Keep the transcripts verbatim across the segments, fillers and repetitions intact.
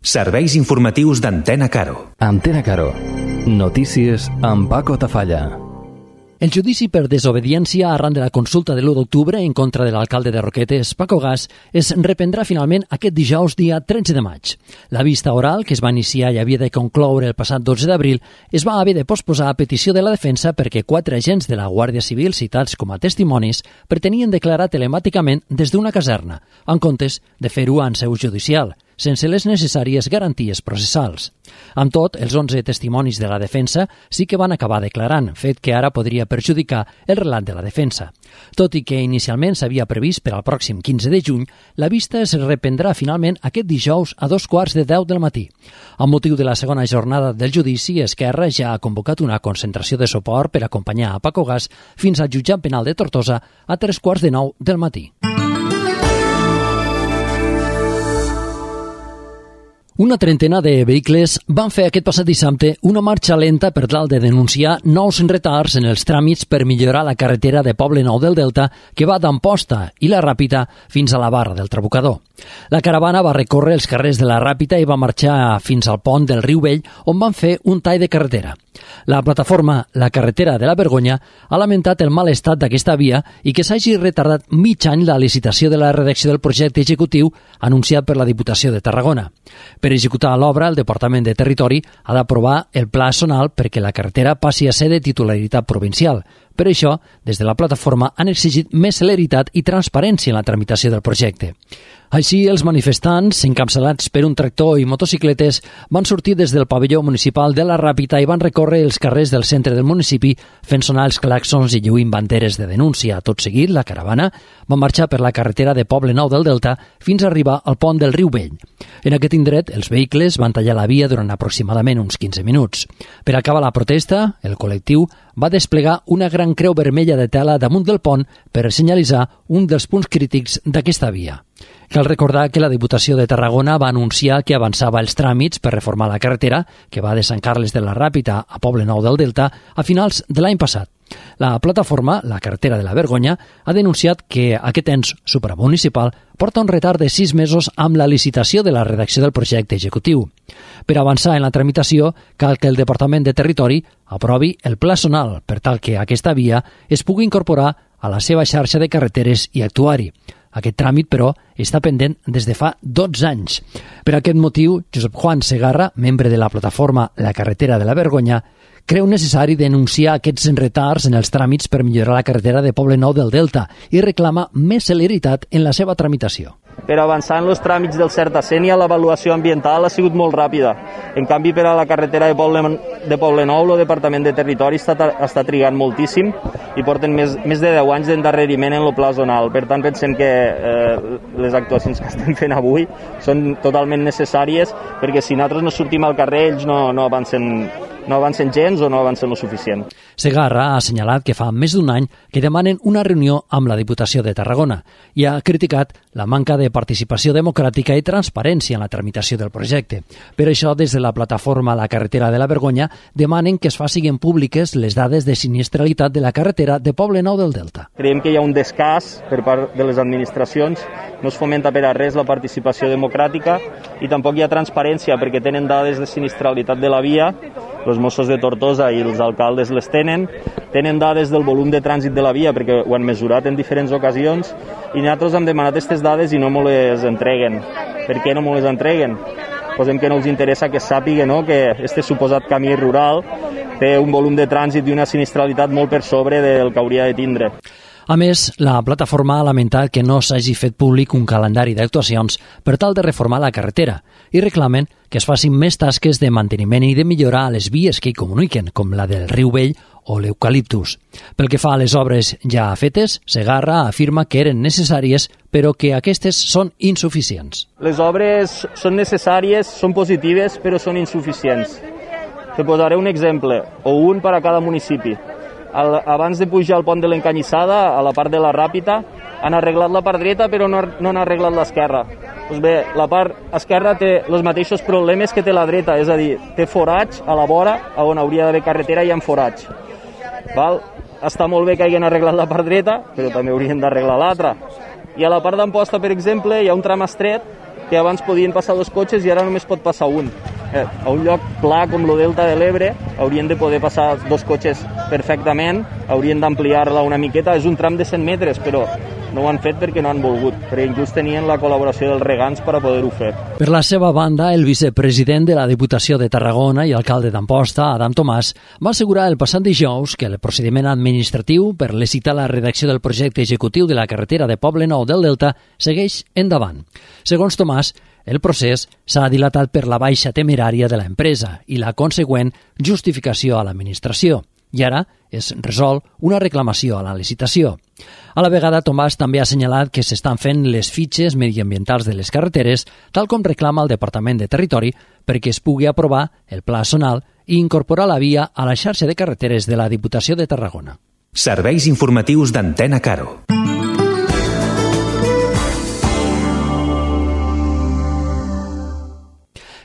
Serveis informatius d'Antena Caro. Antena Caro. Notícies amb Paco Tafalla. El judici per desobediència arran de la consulta de l'u d'octubre en contra de l'alcalde de Roquetes, Paco Gas, es reprendrà finalment aquest dijous, dia tretze de maig. La vista oral, que es va iniciar i havia de concloure el passat dotze d'abril, es va haver de posposar a petició de la defensa perquè quatre agents de la Guàrdia Civil citats com a testimonis pretenien declarar telemàticament des d'una caserna, en comptes de fer-ho en seu judicial, sense les necessàries garanties processals. Amb tot, els onze testimonis de la defensa sí que van acabar declarant, fet que ara podria perjudicar el relat de la defensa. Tot i que inicialment s'havia previst per al pròxim quinze de juny, la vista es reprendrà finalment aquest dijous a dos quarts de deu del matí. Amb motiu de la segona jornada del judici, Esquerra ja ha convocat una concentració de suport per acompanyar a Paco Gas fins al jutjat penal de Tortosa a tres quarts de nou del matí. Una trentena de vehicles van fer aquest passat dissabte una marxa lenta per tal de denunciar nous retards en els tràmits per millorar la carretera de Poblenou del Delta que va d'Amposta i la Ràpita fins a la Barra del Trabucador. La caravana va recórrer els carrers de la Ràpita i va marxar fins al pont del Riu Vell, on van fer un tall de carretera. La plataforma La Carretera de la Vergonya ha lamentat el mal estat d'aquesta via i que s'hagi retardat mig any la licitació de la redacció del projecte executiu anunciat per la Diputació de Tarragona. Per executar l'obra, el Departament de Territori ha d'aprovar el pla zonal perquè la carretera passi a ser de titularitat provincial. Per això, des de la plataforma han exigit més celeritat i transparència en la tramitació del projecte. Així, els manifestants, encapçalats per un tractor i motocicletes, van sortir des del pavelló municipal de la Ràpita i van recórrer els carrers del centre del municipi fent sonar els claxons i lluint banderes de denúncia. Tot seguit, la caravana va marxar per la carretera de Poblenou del Delta fins a arribar al pont del Riu Vell. En aquest indret, els vehicles van tallar la via durant aproximadament uns quinze minuts. Per acabar la protesta, el col·lectiu va desplegar una gran creu vermella de tela damunt del pont per senyalitzar un dels punts crítics d'aquesta via. Cal recordar que la Diputació de Tarragona va anunciar que avançava els tràmits per reformar la carretera, que va de Sant Carles de la Ràpita a Poblenou del Delta, a finals de l'any passat. La plataforma, La Carretera de la Vergonya, ha denunciat que aquest ens supramunicipal porta un retard de sis mesos amb la licitació de la redacció del projecte executiu. Per avançar en la tramitació, cal que el Departament de Territori aprovi el pla zonal per tal que aquesta via es pugui incorporar a la seva xarxa de carreteres i actuari. Aquest tràmit, però, està pendent des de fa dotze anys. Per aquest motiu, Josep Juan Segarra, membre de la plataforma La Carretera de la Vergonya, creu necessari denunciar aquests retards en els tràmits per millorar la carretera de Poblenou del Delta i reclama més celeritat en la seva tramitació. Per avançar en els tràmits del Certacenia, l'avaluació ambiental ha sigut molt ràpida. En canvi, per a la carretera de, Poble, de Poblenou, el Departament de Territori està, està trigant moltíssim i porten més, més de deu anys d'endarreriment en el pla zonal. Per tant, pensem que eh, les actuacions que estem fent avui són totalment necessàries perquè si nosaltres no sortim al carrer, ells no, no avancen no avancen gens o no avancen lo suficient. Segarra ha assenyalat que fa més d'un any que demanen una reunió amb la Diputació de Tarragona i ha criticat la manca de participació democràtica i transparència en la tramitació del projecte. Per això, des de la plataforma La Carretera de la Vergonya, demanen que es facin públiques les dades de sinistralitat de la carretera de Poblenou del Delta. Creiem que hi ha un descàs per part de les administracions, no es fomenta per a res la participació democràtica i tampoc hi ha transparència perquè tenen dades de sinistralitat de la via, els Mossos de Tortosa i els alcaldes les tenen, tenen dades del volum de trànsit de la via perquè ho han mesurat en diferents ocasions i nosaltres hem demanat aquestes dades i no me les entreguen. Per què no me les entreguen? Posem que no els interessa que sàpiga, no?, que este suposat camí rural té un volum de trànsit i una sinistralitat molt per sobre del que hauria de tindre. A més, la plataforma ha lamentat que no s'hagi fet públic un calendari d'actuacions per tal de reformar la carretera i reclamen que es facin més tasques de manteniment i de millorar a les vies que hi comuniquen, com la del Riu Vell o l'Eucaliptus. Pel que fa a les obres ja fetes, Segarra afirma que eren necessàries, però que aquestes són insuficients. Les obres són necessàries, són positives, però són insuficients. Te posaré un exemple, o un per a cada municipi. Abans de pujar al pont de l'Encanyissada, a la part de la Ràpita, han arreglat la part dreta però no, no han arreglat l'esquerra. Doncs bé, la part esquerra té els mateixos problemes que té la dreta, és a dir, té forats a la vora, on hauria d'haver carretera hi ha forats. Val? Està molt bé que hagin arreglat la part dreta, però també haurien d'arreglar l'altra. I a la part d'Amposta, per exemple, hi ha un tram estret que abans podien passar dos cotxes i ara només pot passar un. Eh, a un lloc pla com el Delta de l'Ebre haurien de poder passar dos cotxes perfectament, haurien d'ampliar-la una miqueta, és un tram de cent metres, però no ho han fet perquè no han volgut, perquè inclús tenien la col·laboració dels regants per a poder-ho fer. Per la seva banda, el vicepresident de la Diputació de Tarragona i alcalde d'Amposta, Adam Tomàs, va assegurar el passat dijous que el procediment administratiu per licitar la redacció del projecte executiu de la carretera de Poblenou del Delta segueix endavant. Segons Tomàs, el procés s'ha dilatat per la baixa temerària de l'empresa i la consegüent justificació a l'administració. I ara es resol una reclamació a la licitació. A la vegada, Tomàs també ha assenyalat que s'estan fent les fitxes mediambientals de les carreteres, tal com reclama el Departament de Territori, perquè es pugui aprovar el pla zonal i incorporar la via a la xarxa de carreteres de la Diputació de Tarragona. Serveis informatius d'Antena Caro.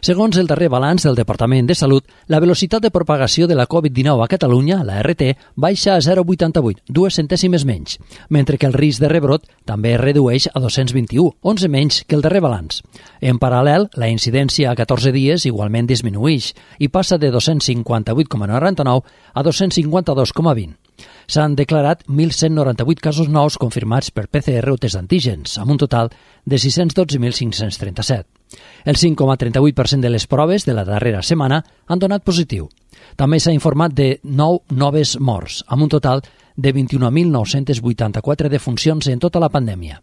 Segons el darrer balanç del Departament de Salut, la velocitat de propagació de la covid dinou a Catalunya, la R T, baixa a zero coma vuitanta-vuit, dues centèsimes menys, mentre que el risc de rebrot també es redueix a dos-cents vint-i-u, onze menys que el darrer balanç. En paral·lel, la incidència a catorze dies igualment disminueix i passa de dos-cents cinquanta-vuit coma noranta-nou a dos-cents cinquanta-dos coma vint. S'han declarat mil cent noranta-vuit casos nous confirmats per P C R o test d'antígens, amb un total de sis-cents dotze mil cinc-cents trenta-set. El cinc coma trenta-vuit per cent de les proves de la darrera setmana han donat positiu. També s'ha informat de nou noves morts, amb un total de vint-i-un mil nou-cents vuitanta-quatre defuncions en tota la pandèmia.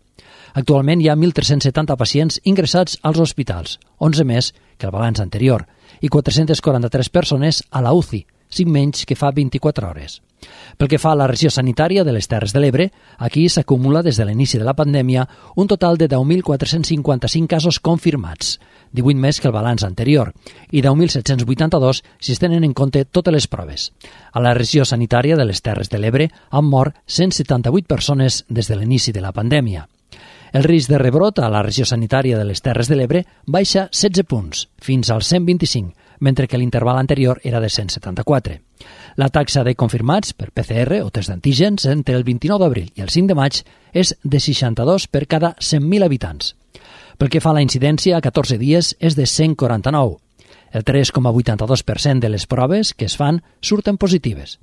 Actualment hi ha mil tres-cents setanta pacients ingressats als hospitals, onze més que el balanç anterior, i quatre-cents quaranta-tres persones a la U C I, cinc menys que fa vint-i-quatre hores. Pel que fa a la regió sanitària de les Terres de l'Ebre, aquí s'acumula des de l'inici de la pandèmia un total de deu mil quatre-cents cinquanta-cinc casos confirmats, divuit més que el balanç anterior, i deu mil set-cents vuitanta-dos si es tenen en compte totes les proves. A la regió sanitària de les Terres de l'Ebre han mort cent setanta-vuit persones des de l'inici de la pandèmia. El risc de rebrot a la regió sanitària de les Terres de l'Ebre baixa setze punts, fins als cent vint-i-cinc, mentre que l'interval anterior era de cent setanta-quatre. La taxa de confirmats per P C R o test d'antígens entre el vint-i-nou d'abril i el cinc de maig és de seixanta-dos per cada cent mil habitants. Pel que fa a la incidència, a catorze dies és de cent quaranta-nou. El tres coma vuitanta-dos per cent de les proves que es fan surten positives.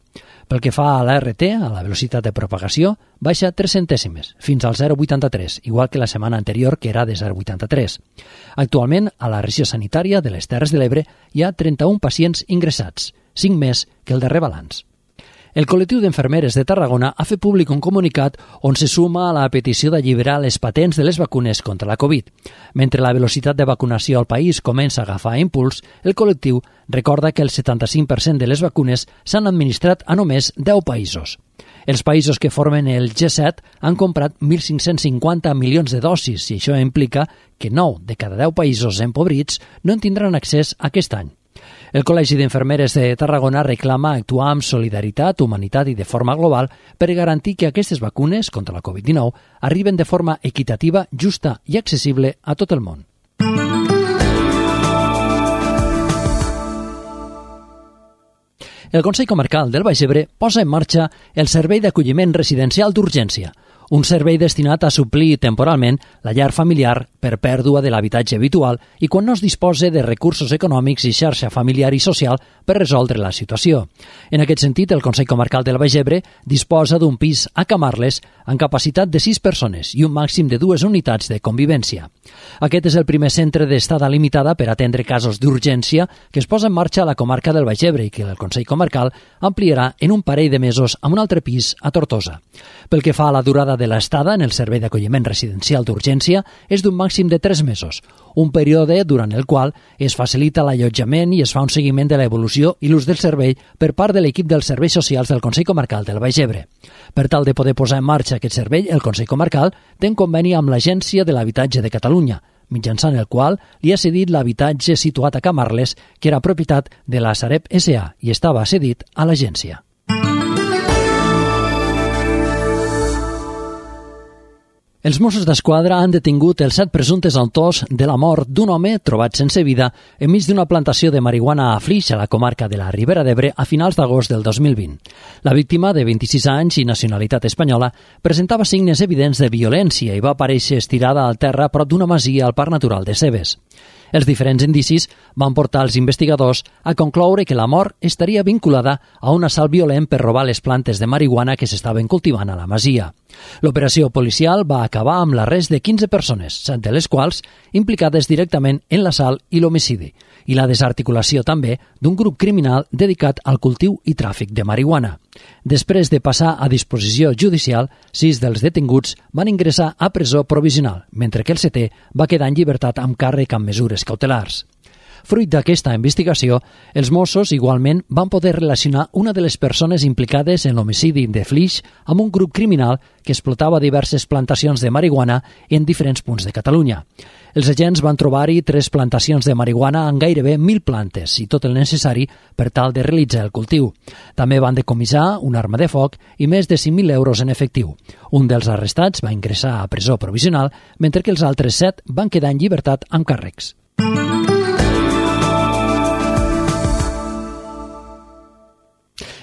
Pel que fa a la R T, a la velocitat de propagació, baixa tres centèsimes, fins al zero coma vuitanta-tres, igual que la setmana anterior, que era de zero coma vuitanta-tres. Actualment, a la regió sanitària de les Terres de l'Ebre hi ha trenta-un pacients ingressats, cinc més que el darrer balanç. El col·lectiu d'enfermeres de Tarragona ha fet públic un comunicat on se suma a la petició d'alliberar les patents de les vacunes contra la Covid. Mentre la velocitat de vacunació al país comença a agafar impuls, el col·lectiu recorda que el setanta-cinc per cent de les vacunes s'han administrat a només deu països. Els països que formen el G set han comprat mil cinc-cents cinquanta milions de dosis i això implica que nou de cada deu països empobrits no en tindran accés aquest any. El Col·legi d'Enfermeres de Tarragona reclama actuar amb solidaritat, humanitat i de forma global per garantir que aquestes vacunes contra la covid dinou arriben de forma equitativa, justa i accessible a tot el món. El Consell Comarcal del Baix Ebre posa en marxa el Servei d'Acolliment Residencial d'Urgència, un servei destinat a suplir temporalment la llar familiar per pèrdua de l'habitatge habitual i quan no es disposa de recursos econòmics i xarxa familiar i social per resoldre la situació. En aquest sentit, el Consell Comarcal del Baix Ebre disposa d'un pis a Camarles amb capacitat de sis persones i un màxim de dues unitats de convivència. Aquest és el primer centre d'estada limitada per atendre casos d'urgència que es posa en marxa a la comarca del Baix Ebre i que el Consell Comarcal ampliarà en un parell de mesos amb un altre pis a Tortosa. Pel que fa a la durada de l'estada en el servei d'acolliment residencial d'urgència és d'un màxim de tres mesos, un període durant el qual es facilita l'allotjament i es fa un seguiment de l'evolució i l'ús del servei per part de l'equip dels serveis socials del Consell Comarcal del Baix Ebre. Per tal de poder posar en marxa aquest servei, el Consell Comarcal té un conveni amb l'Agència de l'Habitatge de Catalunya, mitjançant el qual li ha cedit l'habitatge situat a Camarles, que era propietat de la Sareb S A i estava cedit a l'agència. Els Mossos d'Esquadra han detingut els set presumptes autors de la mort d'un home trobat sense vida enmig d'una plantació de marihuana a Flix, a la comarca de la Ribera d'Ebre, a finals d'agost del dos mil vint. La víctima, de vint-i-sis anys i nacionalitat espanyola, presentava signes evidents de violència i va aparèixer estirada al terra prop d'una masia al Parc Natural de Cebes. Els diferents indicis van portar els investigadors a concloure que la mort estaria vinculada a un assalt violent per robar les plantes de marihuana que s'estaven cultivant a la masia. L'operació policial va acabar amb l'arrest de quinze persones, set de les quals implicades directament en l'assalt i l'homicidi, i la desarticulació també d'un grup criminal dedicat al cultiu i tràfic de marihuana. Després de passar a disposició judicial, sis dels detinguts van ingressar a presó provisional, mentre que el setè va quedar en llibertat amb càrrec amb mesures cautelars. Fruit d'aquesta investigació, els Mossos igualment van poder relacionar una de les persones implicades en l'homicidi de Flix amb un grup criminal que explotava diverses plantacions de marihuana en diferents punts de Catalunya. Els agents van trobar-hi tres plantacions de marihuana amb gairebé mil plantes i tot el necessari per tal de realitzar el cultiu. També van decomissar una arma de foc i més de cinc mil euros en efectiu. Un dels arrestats va ingressar a presó provisional, mentre que els altres set van quedar en llibertat amb càrrecs.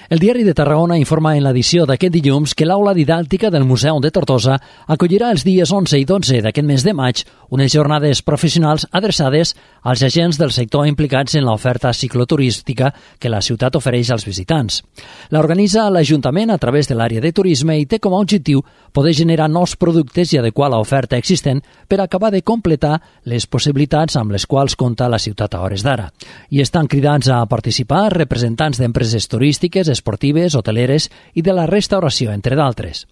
El Diari de Tarragona informa en l'edició d'aquest dilluns que l'aula didàctica del Museu de Tortosa acollirà els dies onze i dotze d'aquest mes de maig unes jornades professionals adreçades als agents del sector implicats en l'oferta cicloturística que la ciutat ofereix als visitants. L'organitza l'Ajuntament a través de l'àrea de turisme i té com a objectiu poder generar nous productes i adequar l'oferta existent per acabar de completar les possibilitats amb les quals compta la ciutat a hores d'ara. I estan cridats a participar representants d'empreses turístiques, esportives, hoteleres i de la restauració, entre d'altres.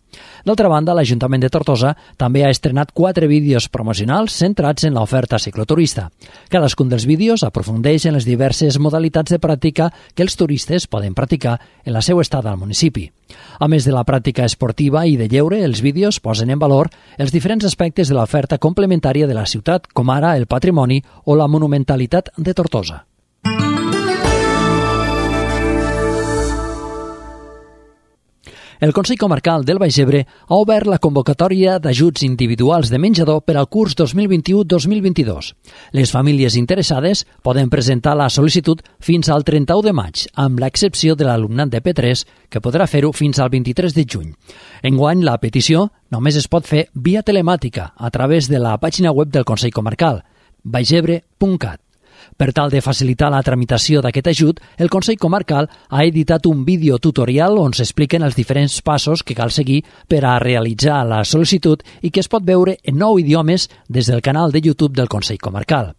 D'altra banda, l'Ajuntament de Tortosa també ha estrenat quatre vídeos promocionals centrats en l'oferta cicloturista. Cadascun dels vídeos aprofundeix en les diverses modalitats de pràctica que els turistes poden practicar en la seva estada al municipi. A més de la pràctica esportiva i de lleure, els vídeos posen en valor els diferents aspectes de l'oferta complementària de la ciutat, com ara el patrimoni o la monumentalitat de Tortosa. El Consell Comarcal del Baix Ebre ha obert la convocatòria d'ajuts individuals de menjador per al curs dos mil vint-i-u dos mil vint-i-dos. Les famílies interessades poden presentar la sol·licitud fins al trenta-u de maig, amb l'excepció de l'alumnat de P tres, que podrà fer-ho fins al vint-i-tres de juny. Enguany, la petició només es pot fer via telemàtica a través de la pàgina web del Consell Comarcal, baixebre punt cat. Per tal de facilitar la tramitació d'aquest ajut, el Consell Comarcal ha editat un vídeo tutorial on s'expliquen els diferents passos que cal seguir per a realitzar la sol·licitud i que es pot veure en nou idiomes des del canal de YouTube del Consell Comarcal.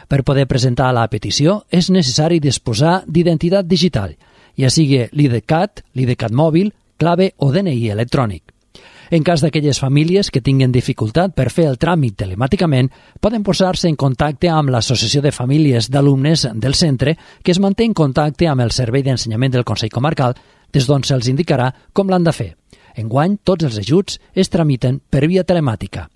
Per poder presentar la petició és necessari disposar d'identitat digital, ja sigui l'IDCAT, l'IDCAT mòbil, clave o D N I electrònic. En cas d'aquelles famílies que tinguin dificultat per fer el tràmit telemàticament, poden posar-se en contacte amb l'Associació de Famílies d'Alumnes del centre, que es manté en contacte amb el Servei d'Ensenyament del Consell Comarcal, des d'on se'ls indicarà com l'han de fer. Enguany, tots els ajuts es tramiten per via telemàtica.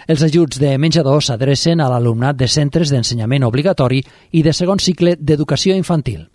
Els ajuts de menjador s'adrecen a l'alumnat de centres d'ensenyament obligatori i de segon cicle d'educació infantil.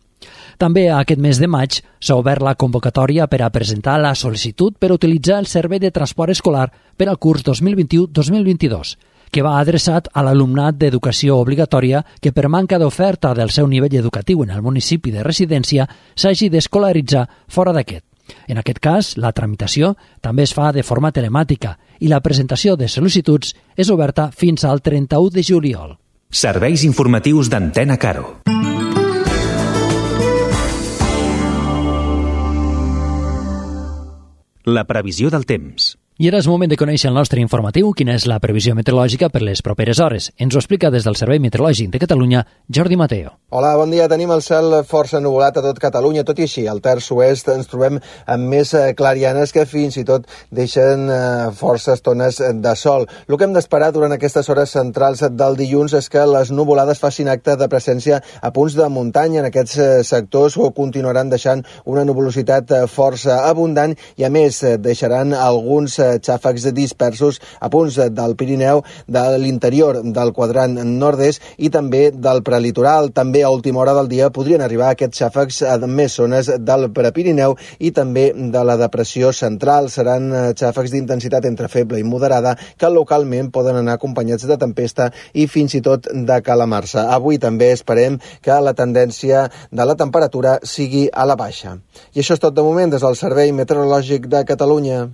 També aquest mes de maig s'ha obert la convocatòria per a presentar la sol·licitud per utilitzar el servei de transport escolar per al curs dos mil vint-i-u dos mil vint-i-dos, que va adreçat a l'alumnat d'educació obligatòria que per manca d'oferta del seu nivell educatiu en el municipi de residència s'hagi d'escolaritzar fora d'aquest. En aquest cas, la tramitació també es fa de forma telemàtica i la presentació de sol·licituds és oberta fins al trenta-u de juliol. Serveis informatius d'Antena Caro. La previsió del temps. I ara és moment de conèixer el nostre informatiu, quina és la previsió meteorològica per les properes hores. Ens ho explica des del Servei Meteorològic de Catalunya, Jordi Mateo. Hola, bon dia. Tenim el cel força ennuvolat a tot Catalunya, tot i així, al terç oest ens trobem amb més clarianes que fins i tot deixen força estones de sol. El que hem d'esperar durant aquestes hores centrals del dilluns és que les nuvolades facin acte de presència a punts de muntanya. En aquests sectors continuaran deixant una nuvolositat força abundant i, a més, deixaran alguns xàfecs dispersos a punts del Pirineu, de l'interior del quadrant nord-est i també del prelitoral. També a última hora del dia podrien arribar aquests xàfecs a més zones del Prepirineu i també de la depressió central. Seran xàfecs d'intensitat entre feble i moderada que localment poden anar acompanyats de tempesta i fins i tot de calamarsa. Avui també esperem que la tendència de la temperatura sigui a la baixa. I això és tot de moment des del Servei Meteorològic de Catalunya.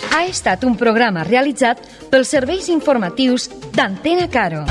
Ha estat un programa realitzat pels serveis informatius d'Antena Caro.